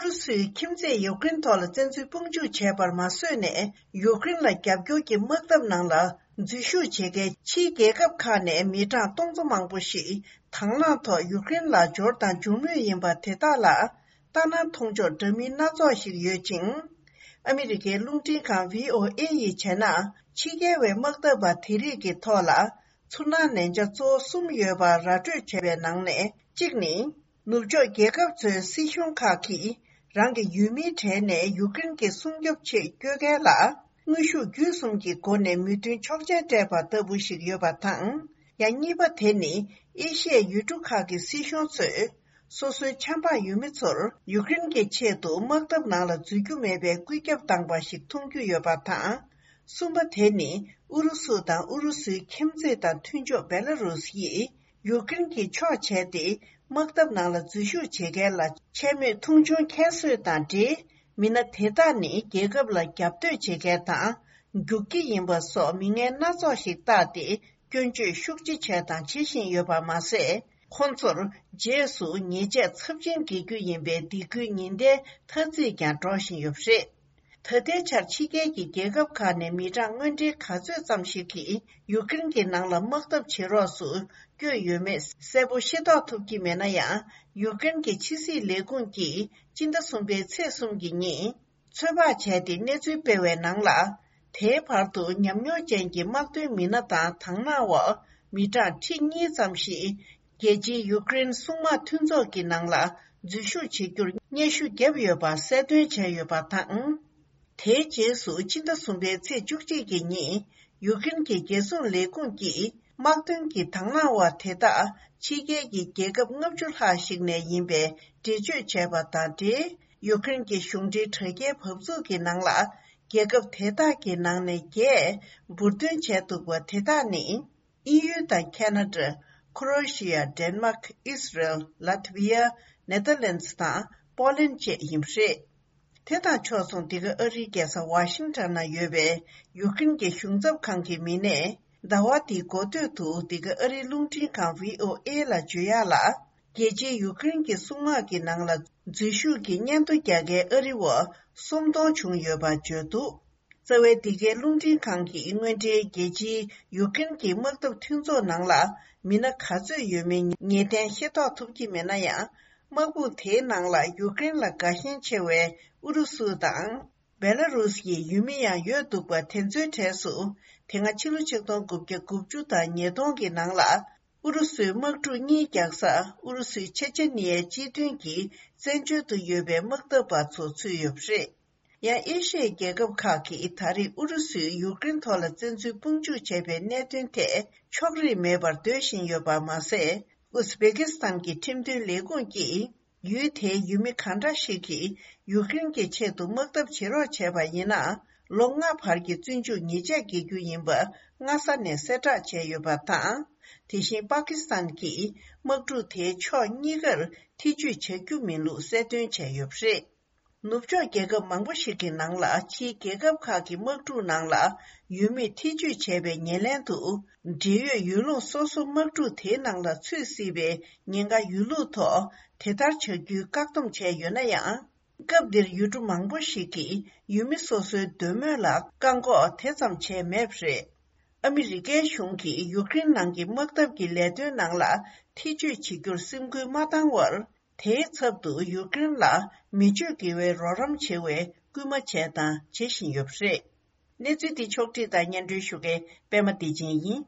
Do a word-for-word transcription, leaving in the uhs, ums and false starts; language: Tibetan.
ཨུ་རུ་སུའི་ཁྱིམ་མཚེས་ཡུཀ་རེན་ཐོག་ལ་བཙན་འཛུལ་དཔུང་འཇུག་བྱས་པར་མ་བཟོད་ནས། ཡུཀ་རེན་ལ་རྒྱབ་སྐྱོར་གྱི་དམག་འཐབ་ནང་ལ་འཛུལ་ཞུགས་བྱེད་མཁན་ཕྱིའི་རྒྱལ་ཁབ་ཁག་ནས་མི་གྲངས་སྟོང་ཚོ་མང་པོ་ཞིག་དང་བླངས་ཐོག་ཡུཀ་རེན་ལ་འབྱོར་དང་འབྱོར་མུས་ཡིན་པ་དེ་དག་ལ། ལྟ་ན་མཐོང་ཕྱོགས་འདྲ་མིན་སྣ་ཚོགས་ཤིག་ཡོད་ཅིང་། ཨ་མི་རི་ཀའི་རླུང་འཕྲིན་ཁང་བྷི་ཨོ་ཨེ་ཡིས་བྱས་ན། ཕྱི་རྒྱལ་བའི་དམག་འཐབ་པ་དེ་རིགས་ཀྱི་ཐོག་ལ་ཚུར་སྣང་ལན་ཆ་གཙོ་བོ་གསུམ་ཡོད་པ་ར་སྤྲོད་བྱས་པའི་ནང་ནས་གཅིག་ནི། ནུབ་ཕྱོགས་རྒྱལ་ཁབ་ཚོའི་སྲིད་གཞུང་ཁག་གིས་རང་གི་ཡུལ་མིའི་གྲས་ནས་ཡུཀ་རེན་གྱི་སྲུང་སྐྱོབ་ཆེད་བསྐྱོད་མཁན་ལ་དངོས་ཤུགས་བརྒྱུད་གསུམ་གྱི་སྒོ་ནས་མོས་མཐུན་ཆོག་མཆན་སྤྲད་པ་ལྟ་བུ་ཞིག་ཡོད་པ་དང་། ཡང་གཉིས་པ་དེ་ནི་ཨེ་ཤི་ཡའི་ཡུལ་གྲུ་ཁག་གི་སྲིད་གཞུང་ཚོས། སོ་སོའི་ཆབ་འབངས་ཡུལ་མི་ཚོར་ཡུཀ་རེན་གྱི་ཆེད་དུ་དམག་འཐབ་ནང་ལ་འཛུལ་རྒྱུ་མེད་པའི་བཀོད་ཁྱབ་བཏང་པ་ཞིག་མཐོང་རྒྱུ་ཡོད་པ་དང་། གསུམ་པ་དེ་ནི་ཨུ་རུ་སུ་དང་ཨུ་རུ་སུའི་ཁྱིམ་མཚེས་དང་མཐུན་ཕྱོགས་བེ་ལ་རུས་ཡིས་ཡུཀ་རེན་གྱི་ཕྱོགས་བྱས་ཏེ། དམག་འཐབ་ནང་ལ་འཛུལ་ཞུགས་བྱེད་མཁན་ལ་འཕྱ་སྨོད་མཐོང་ཆུང་ཁྱད་གསོད་དང་འབྲེལ། མི་སྣ་དེ་དག་ནི་རྒྱལ་ཁབ་ལ་རྒྱབ་གཏོད་བྱེད་མཁན་དང་། རྒྱུག་ཁྱི་ཡིན་པ་སོགས་མིང་ངན་སྣ་ཚོགས་ཤིག་བཏགས་ཏེ། སྐྱོན་བརྗོད་ཤུགས་ཆེ་བྱས་དང་བྱེད་བཞིན་ཡོད་པ་མ་ཟད། ཁོང་ཚོར་རྗེས་སུ་ཉེས་ཆད་ཚབས་ཆེན་འགེལ་རྒྱུ་ཡིན་པའི་སྡིགས་སྐུལ་ཉེན་བརྡའི་ཐ་ཚིག་ཀྱང་སྒྲོག་བཞིན་ཡོད་པ་རེད། ད་ལྟའི་ཆར་ཕྱི་རྒྱལ་གྱི་རྒྱལ་ཁབ་ཁག་ནས་མི་གྲངས་དངོས་འབྲེལ་ག་ཚོད་ཙམ་ཞིག་གིས་ཡུཀ་རེན་གྱི་ནང་ལ་དམག་འཐབ་བྱེད་རོགས་སུ་བསྐྱོད་ཡོད་མེད་གསལ་པོ་ཤེས་རྟོགས་ཐུབ་ཀྱི་མེད་ན་ཡང་། ཡུཀ་རེན་གྱི་ཕྱི་སྲིད་ལས་ཁུངས་ཀྱིས་སྤྱི་ཟླ་གསུམ་པའི་ཚེས་གསུམ་གྱི་ཉིན། ཚོད་དཔག་བྱས་ཏེ་གནས་ཚུལ་སྤེལ་བའི་ནང་ལ། དེའི་བར་དུ་ཉམས་མྱོང་ཅན་གྱི་དམག་དོན་མི་སྣ་དང་དང་བླངས་འོག་མི་གྲངས་ཁྲི་གཉིས་ཙམ་ཞིག་རྒྱལ་སྤྱིའི་ཡུཀ་རེན་སྲུང་དམག་མཐུན་ཚོགས་ཀྱི་ནང་ལ་འཛུལ་ཞུགས་བྱེད་རྒྱུར་སྙན་ཞུ་བརྒྱབ་ཡོད་པ་གསལ་སྟོན་བྱས་ཡོད་པ་དང་། དེའི་རྗེས་སུ་ཕྱི་ཟླ་གསུམ་པའི་ཚེས་བཅུ་གཅིག་གི་ཉིན། ཡུཀ་རེན་གྱི་རྒྱལ་སྲུང་ལས་ཁུངས་ཀྱིས་དམག་དོན་གྱི་དང་བླངས་བ་དེ་དག་ཕྱི་རྒྱལ་གྱི་རྒྱལ་ཁབ་ལྔ་བཅུ་ལྷག་ཞིག་ནས་ཡིན་པའི་འགྲེལ་བརྗོད་བྱས་པ་དང་འབྲེལ། ཡུཀ་རེན་གྱི་གཞུང་འབྲེལ་དྲ་རྒྱའི་བབ་ཚུགས་ཀྱི་ནང་ལ། རྒྱལ་ཁབ་དེ་དག་གི་ནང་ནས་བརྒྱད་འབུར་འདོན་བྱས་འདུག་པ་དེ་དག་ནི། དབྱིན་ཡུལ་དང་ཁ་ན་ཌ། ཁོ་རོ་ཤི་ཡ། ཌེན་མཱག་ཨིས་རལ། ལ་ཐི་བི་ཡ། ནེ་ཐར་ལན་ཛི་དང་པོ་ལན་ཌི་བཅས་ཡིན་པ་རེད། དེ་དང་ཕྱོགས་མཚུངས། འདི་ག་ཨ་རིའི་རྒྱལ་ས་ཝ་ཤིང་ཊོན་ན་ཡོད་པའི་ཡུཀ་རེན་གྱི་གཞུང་ཚབ་ཁང་གི་མི་སྣས་ཟླ་བ་འདིའི་འགོ་སྟོད་དུ་འདི་ག་ཨ་རིའི་རླུང་འཕྲིན་ཁང་བྷི་ཨོ་ཨེ་ལ་བརྗོད་ཡག་ལ། རྒྱལ་སྤྱིའི་ཡུཀ་རེན་གྱི་སྲུང་དམག་གི་ནང་ལ་འཛུལ་ཞུགས་ཀྱི་སྙན་ཐོ་རྒྱག་མཁན་ཨ་རི་བ་སུམ་སྟོང་བྱུང་ཡོད་པ་བརྗོད་འདུག་རྩ་བའི་འདི་གའི་རླུང་འཕྲིན་ཁང་གིས་དངོས་འབྲེལ་རྒྱལ་སྤྱིའི་ཡུཀ་རེན་གྱི་དམག་འཐབ་མཐུན་ཚོགས་ནང་ལ་མི་སྣ་ག་ཚོད་ཡོད་མེད་ངེས་གཏན་ཤེས་རྟོགས་ཐུབ་ཀྱི་མེད་ན་ཡང་། དམག་དཔུང་དེའི་ནང་ལ་ཡུཀ་རེན་ལ་དགའ་ཞེན་ཆེ་བའི་ཨུ་རུ་སུ་དང་། བེ་ལ་རུས་ཀྱི་ཡུལ་མི་ཡང་ཡོད་འདུག་པ་དེ་ཚོའི་གྲས་སུ། དེ་སྔ་ཕྱི་ལོ་ཆིག་སྟོང་དགུ་བརྒྱ་དགུ་བཅུ་དང་ཉིས་སྟོང་གི་ནང་ལ། ཨུ་རུ་སུའི་དམག་འཁྲུག་གཉིས་རྒྱག་ས་ཨུ་རུ་སུའི་ཆེ་ཆེ་ནི་ཡའི་སྤྱི་མཐུན་གྱི་བཙན་བྱོལ་དུ་ཡོད་པའི་དམག་འཐབ་པ་ཚོ་ཚུད་ཡོད་པ་རེད། ཡང་ཨེ་ཤི་ཡའི་རྒྱལ་ཁབ་ཁག་གིས་ད་རེས་ཨུ་རུ་སུས་ཡུཀ་རེན་ཐོག་ལ་བཙན་འཛུལ་དཔུང་འཇུག་བྱས་པའི་གནད་དོན་ཐད་ཕྱོགས་རིས་མེད་པར་འདོད་བཞིན་ཡོད་པ་མ་ཟད། ཨུ་ཛི་བེ་ཀི་སི་ཐན་གྱི་ཁྲིམས་མཐུན་ལས་ཁུངས་ཀྱིས། ཡུལ་དེའི་ཡུལ་མི་གང་འདྲ་ཞིག་གིས་ཡུཀ་རེན་གྱི་ཆེད་དུ་དམག་འཐབ་བྱེད་རོགས་བྱས་པ་ཡིན་ན། ལོ་ལྔ་བར་གྱི་བཙོན་འཇུག་ཉེས་ཆད་འགེལ་རྒྱུ་ཡིན་པ་སྔ་ས་ནས་གསལ་བསྒྲགས་བྱས་ཡོད་པ་དང་། དེ་བཞིན་པ་ཀི་སི་ཐན་གྱིས་དམག་འཁྲུག་དེའི་ཕྱོགས་གཉིས་ཀར་ཐེ་ཇུས་བྱ་རྒྱུ་མིན་ལུགས་གསལ་སྟོན་བྱས་ཡོད་པ་རེད། ནུབ་ཕྱོགས་རྒྱལ་ཁབ་མང་པོ་ཞིག་གི་ནང་ལ། ཕྱིའི་རྒྱལ་ཁབ་ཁག་གི་དམག་འཁྲུག་ནང་ལ་ཡུལ་མིས་ཐེ་ཇུས་བྱས་པའི་ཉེར་ལེན་དུ། འབྲེལ་ཡོད་ཡུལ་ལུང་སོ་སོ་དམག་འཁྲུག་དེའི་ནང་ལ་ཚུད་སྲིད་པའི་ཉེན་ཁ་ཡོད་ལུགས་ཐོག་དེ་ལྟར་བྱ་རྒྱུའི་བཀག་སྡོམ་བྱས་ཡོད་ན་ཡང་། སྐབས་འདིར་ཡུལ་གྲུ་མང་པོ་ཞིག་གིས་ཡུལ་མི་སོ་སོའི་འདོད་མོས་ལ་བཀག་འགོག་དེ་ཙམ་བྱས་མེད་པ་རེད། ཨ་མི་རི་ཀའི་གཞུང་གིས་ཡུཀ་རེན་ནང་གི་དམག་འཐབ་ཀྱི་ལས་དོན་ནང་ལ་ཐེ་ཇུས་བྱེད་རྒྱུར་སེམས་ཁུར་མ་བཏང་བར། དེའི་ཚབ་ཏུ་ཡུཀ་རེན་ལ་མི་སྤྱོད་དགེ་བའི་རོགས་རམ་བྱེད་པའི་སྐུལ་མ་བྱས་དང་བྱེད་བཞིན་ཡོད་པ་རེད། གནས་ཚུལ་འདི་ཕྱོགས་བསྒྲིགས་དང་སྙན་སྒྲོན་ཞུ་མཁན་པད་མ་བདེ་ཆེན་ཡིན།